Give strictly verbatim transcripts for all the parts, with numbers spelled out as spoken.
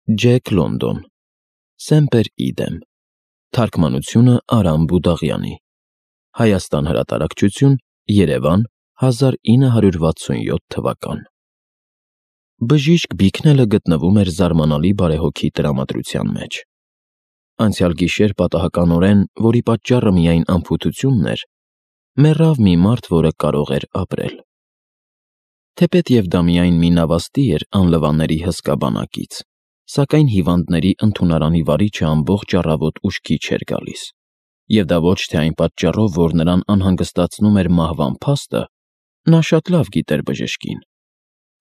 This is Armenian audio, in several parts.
Ջեք Լոնդոն Սեմպեր Իդեմ Թարգմանությունը Արամ Բուդաղյանի Հայաստան հրատարակչություն Երևան հազար ինը հարյուր վաթսունյոթ թվական Բժիշկ Բիքնելը գտնվում էր զարմանալի բարեհոգի տրամադրության մեջ։ Անցյալ գիշեր պատահականորեն, որի պատճառը միայն անփութությունն էր, մեռավ մի մարդ, որը կարող էր ապրել։ Թեպետև դա միայն մի նավաստի էր անլվաների հսկա բանակից, սակայն հիվանդների ընդունարանի վարիչը ամբողջ առավոտ ուշքի չէր գալիս, և դա ոչ թե այն պատճառով, որ նրան անհանգստացնում էր մահվան փաստը, նա շատ լավ գիտեր բժշկին,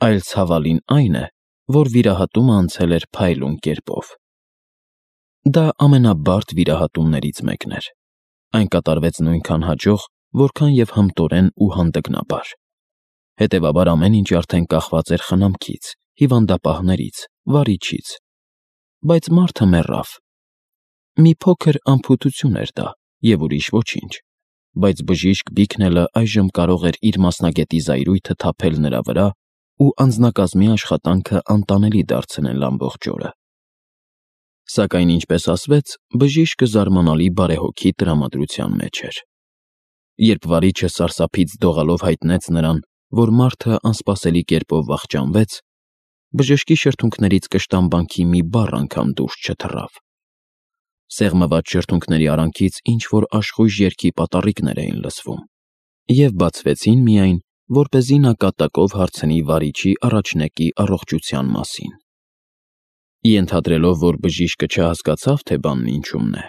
այլ ցավալին այն է, որ վիրահատումը անցել էր փայլուն կերպով։ Դա ամենաբարդ վիրահատումներից մեկն էր։ Այն կատարվեց նույնքան հաջող, որքան և հմտորեն ու հանդգնաբար։ Հետևաբար ամեն ինչ արդեն կախված էր խնամքից, հիվանդապահներից, վարիչից, բայց մարդը մեռավ։ Մի փոքր անփութություն էր դա և ուրիշ ոչինչ, բայց բժիշկ Բիքնելը այժմ կարող էր իր մասնագետի զայրույթը թափել նրա վրա ու անձնակազմի աշխատանքը անտանելի դարձնել ամբողջ օրը։ Սակայն, ինչպես ասվեց, բժիշկը զարմանալի բարեհոգի տրամադրության մեջ էր։ Երբ վարիչը սարսափից դողալով հայտնեց նրան, որ մարդը անսպասելի կերպով վախճանվեց, բժշկի շրթունքներից կշտամբանքի մի բառ անգամ դուրս չթռավ։ Սեղմված շրթունքների արանքից ինչ-որ աշխույժ երգի պատառիկներ էին լսվում և բացվեցին միայն, որպեսզի նա կատակով հարցնի վարիչի առաջնեկի առողջության մասին։ Ենթադրելով, որ բժիշկը չհասկացավ, թե բանն ինչումն է,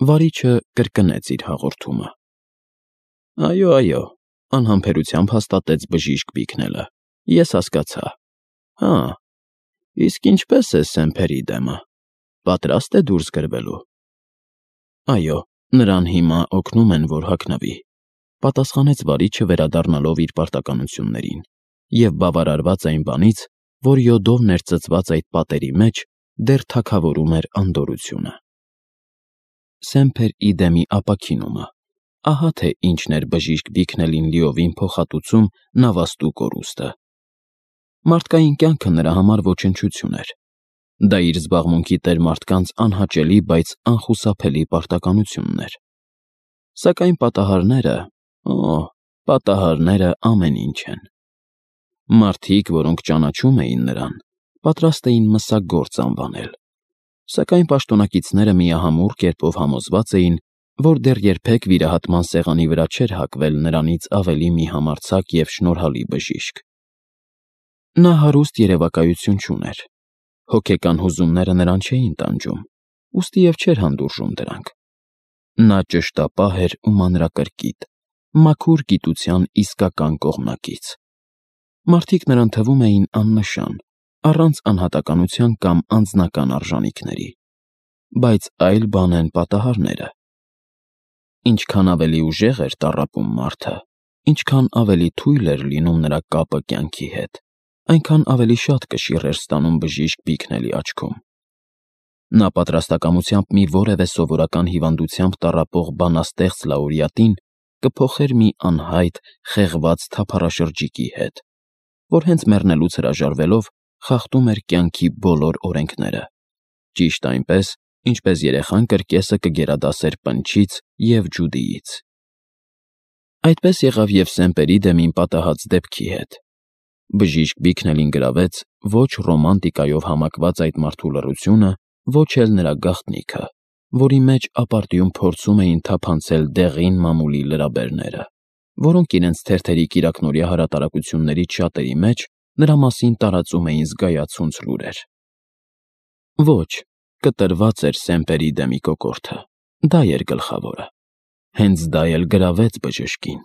վարիչը կրկնեց իր հաղորդումը։ Այո, այո, անհամբերությամբ հաստատեց բժիշկ Բիքնելը, ես հասկացա։ Հա, իսկ ինչպե՞ս է Սեմպեր Իդեմը, պատրաստ է դուրս գրվելու։ Այո, նրան հիմա օգնում են, որ հագնվի, պատասխանեց վարիչը վերադառնալով իր պարտականություններին և բավարարված այն բանից, որ յոդով ներծծված այդ պատերի մեջ դեռ թագավորում էր անդորրությունը։ Սեմպեր Իդեմի ապաքինումը, ահա թե ինչն էր բժիշկ Բիքնելին լիովին փոխհատուցում նավաստու կորուստը։ Մարդկային կյանքը նրա համար ոչնչություն էր։ Դա իր զբաղմունքի տեր մարդկանց անհաճելի, բայց անխուսափելի պարտականությունն էր։ Սակայն պատահարները, օ, պատահարները ամեն ինչ են։ Մարդիկ, որոնք ճանաչում էին նրան, պատրաստ էին մսագործ անվանել, սակայն պաշտոնակիցները միահամուռ կերպով համոզված էին, որ դեռ երբեք վիրահատման սեղանի վրա չէր հագվել նրանից ավելի մի համարձակ և շնորհալի բժիշկ։ Նա հարուստ երևակայություն չուներ։ Հոգեկան հուզումները նրան չէին տանջում, ուստիև չէր հանդուրժում դրանք։ Նա ճշտապահ էր ու մանրակրկիտ, մաքուր գիտության իսկական կողմնակից։ Մարդիկ նրան թվում էին աննշան, առանց անհատականության կամ անձնական արժանիքների, բայց այլ բան են պատահարները։ Ինչքան ավելի ուժեղ էր տառապում մարդը, ինչքան ավելի թույլ էր լինում նրա կապը կյանքի հետ, այնքան ավելի շատ կշիռ էր ստանում բժիշկ Բիքնելի աչքում։ Նա պատրաստակամությամբ մի որևէ սովորական հիվանդությամբ տառապող բանաստեղծ լաուրեատին կփոխեր մի անհայտ, խեղված թափառաշրջիկի հետ, որ հենց մեռնելուց հրաժարվելով խախտում էր կյանքի բոլոր օրենքները, ճիշտ այնպես, ինչպես երեխան կրկեսը կգերադասեր պնչից և ջուդիից։ Այդպես եղավ և Սեմպեր Իդեմին պատահած դեպքի հետ։ Բժիշկ Բիքնելին գրավեց ոչ ռոմանտիկայով համակված այդ մարդու լռությունը, ոչ էլ նրա գաղտնիքը, որի մեջ ապարդյուն փորձում էին թափանցել դեղին մամուլի լրաբերները, որոնք իրենց թերթերի կիրակնօրյա հրատարակություններից շատերի մեջ նրա մասին տարածում էին զգայացունց լուրեր։ Ոչ, կտրված էր Սեմպեր Իդեմի կոկորդը, դա էր գլխավորը։ Հենց դա էլ գրավեց բժշկին։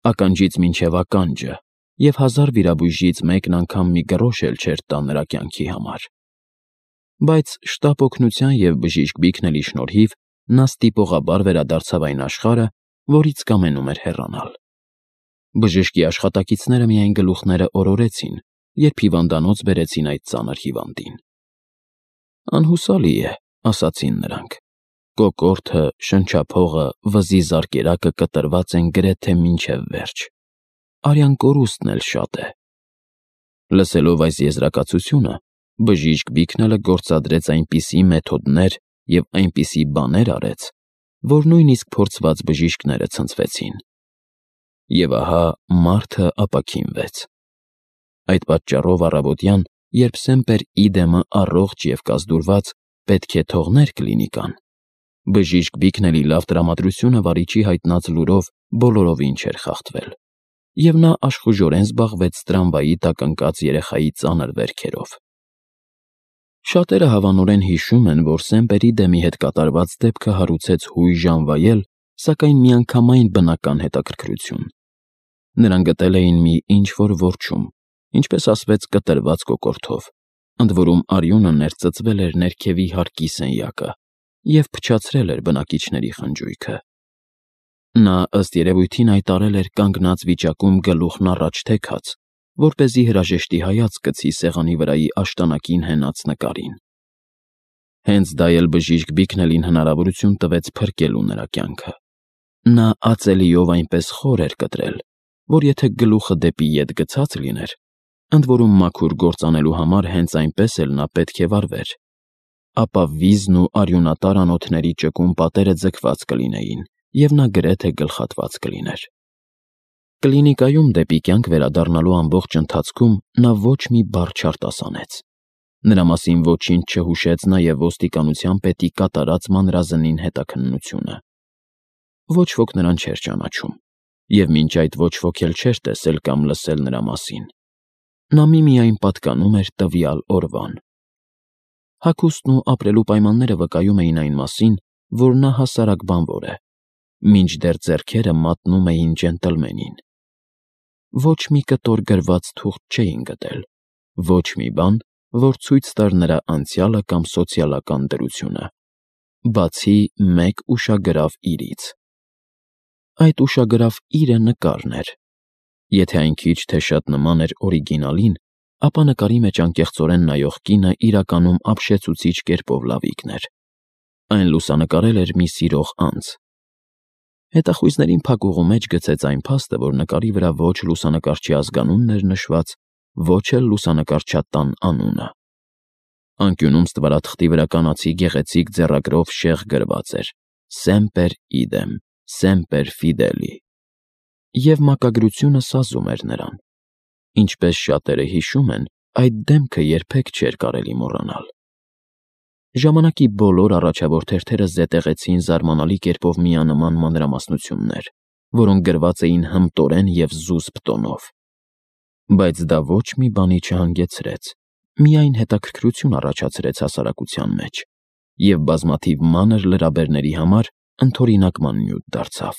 Ականջից մինչև ականջը, և հազար վիրաբույժից մեկն անգամ մի գրոշ էլ չէր տա նրա կյանքի համար։ Բայց շտապ օգնության և բժիշկ Բիքնելի շնորհիվ նա ստիպողաբար վերադարձավ այն աշխարհը, որից կամենում էր հեռանալ։ Բժշկի աշխատակիցները միայն գլուխները օրորեցին, երբ հիվանդանոց բերեցին այդ ծանր հիվանդին։ Անհուսալի է, ասացին նրանք։ Կոկորդը, շնչափողը, վզի զարկերակը կտրված են գրեթե մինչև վերջ։ Արյան կորուստն էլ շատ է։ Լսելով այս եզրակացությունը, Բժիշկ Բիքնելը գործադրեց այնպիսի մեթոդներ և այնպիսի բաներ արեց, որ նույնիսկ փորձված բժիշկները ցնցվեցին։ Եվ ահա մարդը ապաքինվեց։ Այդ պատճառով առավոտյան, երբ Սեմպեր Իդեմը առողջ և կազդուրված պետք է թողներ կլինիկան, բժիշկ Բիքնելի լավ տրամադրությունը վարիչի հայտնած լուրով բոլորովին չէր խախտվել, և նա աշխուժորեն զբաղվեց տրամվայի տակ ընկած երեխայի ծանր վերքերով։ Շատերը հավանորեն հիշում են, որ Սեմպեր Իդեմի հետ կատարված դեպքը հարուցեց հույժ անվայել, սակայն միանգամայն բնական հետաքրքրություն։ Նրան գտել էին մի ինչ-որ որջում, ինչպես ասվեց, կտրված կոկորդով, ընդ որում արյունը ներծծվել էր ներքևի հարկի սենյակը և փչացրել էր բնակիչների խնջույքը։ Նա, ըստ երևույթին, այդ արել էր կանգնած վիճակում գլուխն առաջ թեքած, որպեսզի հրաժեշտի հայացք գցի սեղանի վրայի աշտանակին հենած նկարին։ Հենց դա էլ բժիշկ Բիքնելին հնարավորություն տվեց փրկելու նրա կյանքը։ Նա ածելիով այնպես խոր էր կտրել, որ եթե գլուխը դեպի ետ գցած լիներ, ընդ որում մաքուր գործ անելու համար հենց այնպես էլ նա պետք է վարվեր, ապա վիզն ու արյունատար անոթների ճկուն պատերը ձգված կլինեին, և նա գրեթե գլխատված կլիներ։ Կլինիկայում դեպի կյանք վերադառնալու ամբողջ ընթացքում նա ոչ մի բառ չարտասանեց։ Նրա մասին ոչինչ չհուշեց նաև ոստիկանության պետի կատարած մանրազնին հետաքննությունը։ Ոչ ոք նրան չէր ճանաչում, և մինչ այդ ոչ ոք էլ չէր տեսել կամ լսել նրա մասին։ Նա միմիայն պատկանում էր տվյալ օրվան։ Հագուստն ու ապրելու պայմանները վկայում էին այն մասին, որ նա հասարակ բանվոր է, մինչդեռ ձեռքերը մատնում էին ջենտլմենին։ Ոչ մի կտոր գրված թուղթ չէին գտել, ոչ մի բան, որ ցույց տար նրա անցյալը կամ սոցիալական դրությունը, բացի մեկ ուշագրավ իրից։ Այդ ուշագրավ իրը նկարն էր։ Եթե այն քիչ թե շատ նման էր օրիգինալին, ապա նկարի մեջ անկեղծորեն նայող կինը իրականում ապշեցուցիչ կերպով լավիկն էր։ Այն լուսանկարել էր մի սիրող անձ։ Հետախույզներին փակուղու մեջ գցեց այն փաստը, որ նկարի վրա ոչ լուսանկարչի ազգանունն էր նշված, ոչ էլ լուսանկարչատան անունը։ Անկյունում ստվարաթղթի վրա կանացի գեղեցիկ ձեռագրով շեղ գրված էր. Սեմպեր Իդեմ, Սեմպեր Ֆիդելի։ Եվ մակագրությունը սազում էր նրան։ Ինչպես շատերը հիշում են, այդ դեմքը երբեք չէր կարելի մոռանալ։ Ժամանակի բոլոր առաջավոր թերթերը զետեղեցին զարմանալի կերպով միանման մանրամասնություններ, որոնք գրված էին հմտորեն և զուսպ տոնով։ Բայց դա ոչ մի բանի չհանգեցրեց, միայն հետաքրքրություն առաջացրեց հասարակության մեջ, և բազմաթիվ մանր լրաբերների համար ընդօրինական նյութ դարձավ։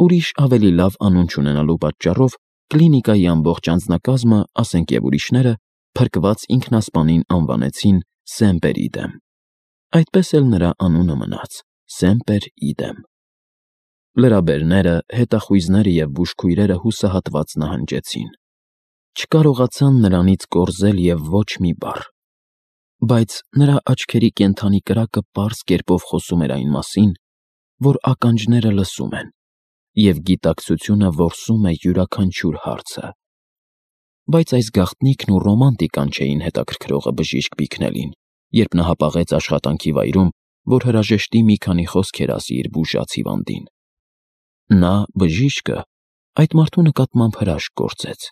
Ուրիշ ավելի լավ անուն չունենալու պատճառով կլինիկայի ամբողջ անձնակազմը, ասենք և ուրիշները, փրկված ինքնասպանին անվանեցին Սեմպեր Իդեմ։ Այդպես էլ նրա անունը մնաց՝ Սեմպեր Իդեմ։ Լրաբերները, հետախույզները և բուժքույրերը հուսահատված նահանջեցին։ Չկարողացան նրանից կորզել և ոչ մի բառ։ Բայց նրա աչքերի կենդանի կրակը պարզ կերպով խոսում էր այն մասին, որ ականջները լսում են, և գիտակցությունը որսում է յուրաքանչյուր հարցը։ Բայց այս գաղտնիքն ու ռոմանտիկան չէին հետաքրքրողը բժիշկ Բիքնելին, երբ նա հապաղեց աշխատանքի վայրում, որ հրաժեշտի մի քանի խոսքեր ասի իր բուժած հիվանդին։ Նա, բժիշկը, այդ մարդու նկատմամբ հրաշք գործեց։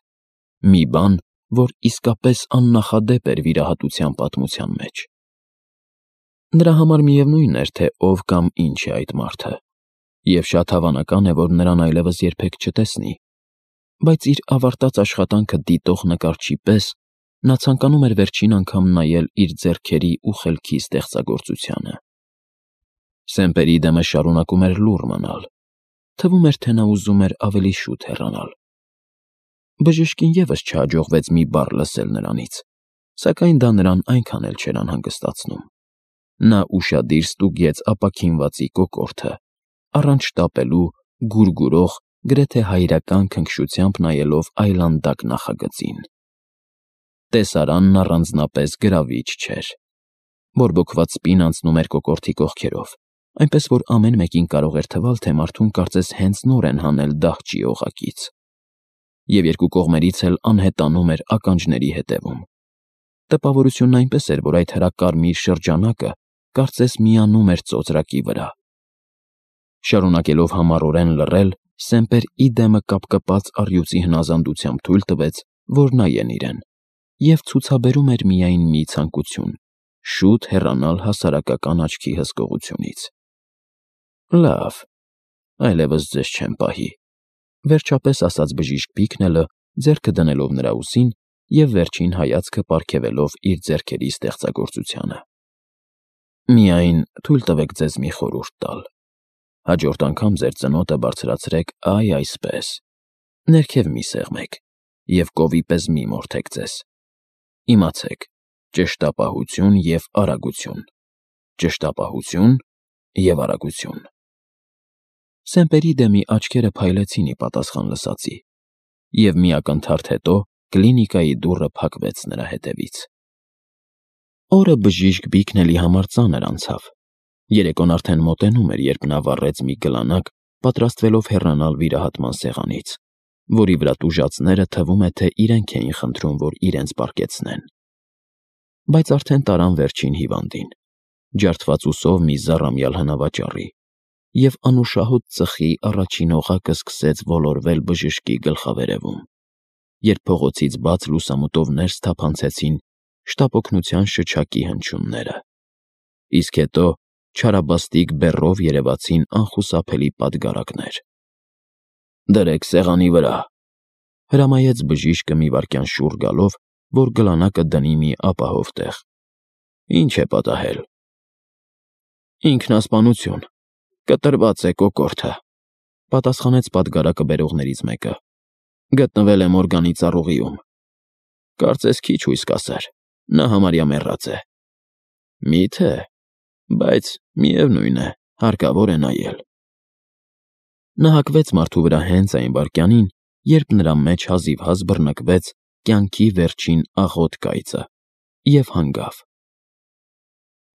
Մի բան, որ իսկապես աննախադեպ էր վիրահատության պատմության մեջ։ Նրա համար միևնույն էր, թե ով կամ ինչ է այդ մարդը, և շատ հավանական է, որ նրան այլևս երբեք չտեսնի, բայց իր ավարտած աշխատանքը դիտող նկարչի պես նա ցանկանում էր վերջին անգամ նայել իր ձեռքերի ու խելքի ստեղծագործությանը։ Սեմպեր Իդեմը շարունակում էր լուռ մնալ։ Թվում էր, թե նա ուզում էր ավելի շուտ հեռանալ։ Բժշկին ևս չհաջողվեց մի բառ լսել նրանից, սակայն դա նրան այնքան էլ չէր անհանգստացնում։ Նա ուշադիր ստուգեց ապաքինվածի կոկորդը, առանց շտապելու, գուրգուրող, գրեթե հայրական քնքշությամբ նայելով այլանդակ նախագծին։ Տեսարանն առանձնապես գրավիչ չէր։ Բորբոքված սպին անցնում էր կոկորդի կողքերով, այնպես որ ամեն մեկին կարող էր թվալ, թե մարդուն կարծես հենց նոր են հանել դահճի օղակից։ Եվ երկու կողմերից էլ անհետանում էր ականջների հետևում։ Տպավորությունն այնպես էր, որ այդ հրակարմիր շրջանակը կարծես միանում էր ծոծրակի վրա։ Շարունակելով համառորեն լռել, Սեմպեր Իդեմը կապկպած առյուծի հնազանդությամբ թույլ տվեց, որ նայեն իրեն, և ցուցաբերում էր միայն մի ցանկություն՝ շուտ հեռանալ հասարակական աչքի հսկողությունից։ Լավ, այլևս ձեզ չեմ պահի, վերջապես ասաց բժիշկ Բիքնելը, ձեռքը դնելով նրա ուսին և վերջին հայացքը պարգևելով իր ձեռքերի ստեղծագործությանը։ Միայն թույլ տվեք ձեզ մի խորհուրդ տալ. հաջորդ անգամ ձեր ծնոտը բարձրացրեք այ այսպես, ներքև մի սեղմեք և կովի պես մի մորթեք ձեզ։ Իմացեք, ճշտապահություն և արագություն, ճշտապահություն և արագություն։ Սեմպեր Իդեմի աչքերը փայլեցին ի պատասխան լսածի, և մի ակնթարթ հետո կլինիկայի դուռը փակվեց նրա հետևից։ Օրը բժիշկ Բիքնելի համար ծանր անցավ։ Երեկոն արդեն մոտենում էր, երբ նա վառեց մի գլանակ, պատրաստվելով հեռանալ վիրահատման սեղանից, որի վրա տուժածները թվում է, թե իրենք էին խնդրում, որ իրենց պառկեցնեն։ Բայց արդեն տարան վերջին հիվանդին, ջարդված ուսով մի զառամյալ հնավաճառի, և անուշահոտ ծխի առաջին օղակը սկսեց ոլորվել բժշկի գլխավերևում, երբ փողոցից բաց լուսամուտով ներս թափանցեցին շտապօգնության շչակի հնչյունները, իսկ հետո չարաբաստիկ բեռով երևացին անխուսափելի պատգարակներ։ «Դրեք սեղանի վրա», հրամայեց բժիշկը մի վայրկյան շուռ գալով, որ գլանակը դնի մի ապահով տեղ։ «Ինչ է պատահել»։ «Ինքնասպանություն, կտրված է կոկորդը», պատասխանեց պատգարակը բերողներից մեկը։ «Գտնվել է մորգանի ծառուղիում։ Կարծես քիչ հույս կասեր, նա համարյա մեռած է»։ «Մի՞թե, բայց միևնույն է, հարկավոր է նայել»։ Նա հագվեց մարդու վրա հենց այն վայրկյանին, երբ նրա մեջ հազիվհազ բռնկվեց կյանքի վերջին աղոտ կայծը, և հանգավ։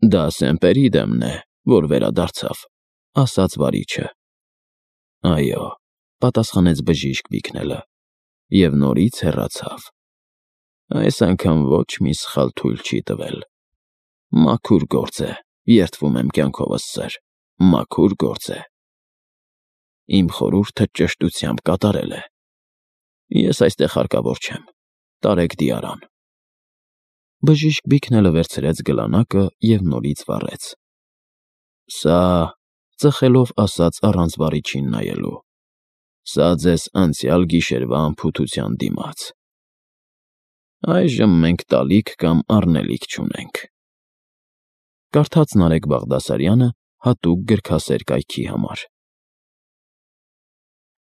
«Դա Սեմպեր Իդեմն է, որ վերադարձավ», ասաց վարիչը։ «Այո», պատասխանեց բժիշկ Բիքնելը, և նորից հեռացավ։ Այս անգամ ոչ մի սխալ թույլ չի տվել։ Մաքուր գործ է, երդվում եմ կյանքովս, սըր, մաքուր գործ է։ Իմ խորհուրդը ճշտությամբ կատարել է։ Ես այստեղ հարկավոր չեմ, տարեք դիարան։ Բժիշկ Բիքնելը վերցրեց գլանակը և նորից վառեց։ Սա, ծխելով ասաց առանց վարիչին նայելու, սա ձեզ անցյալ գիշերվա անփութության դիմաց։ Այժմ մենք տալիք կամ առնելիք չունենք։ Կարդաց Նարեկ Բաղդասարյանը հատուկ գրքասեր կայքի համար։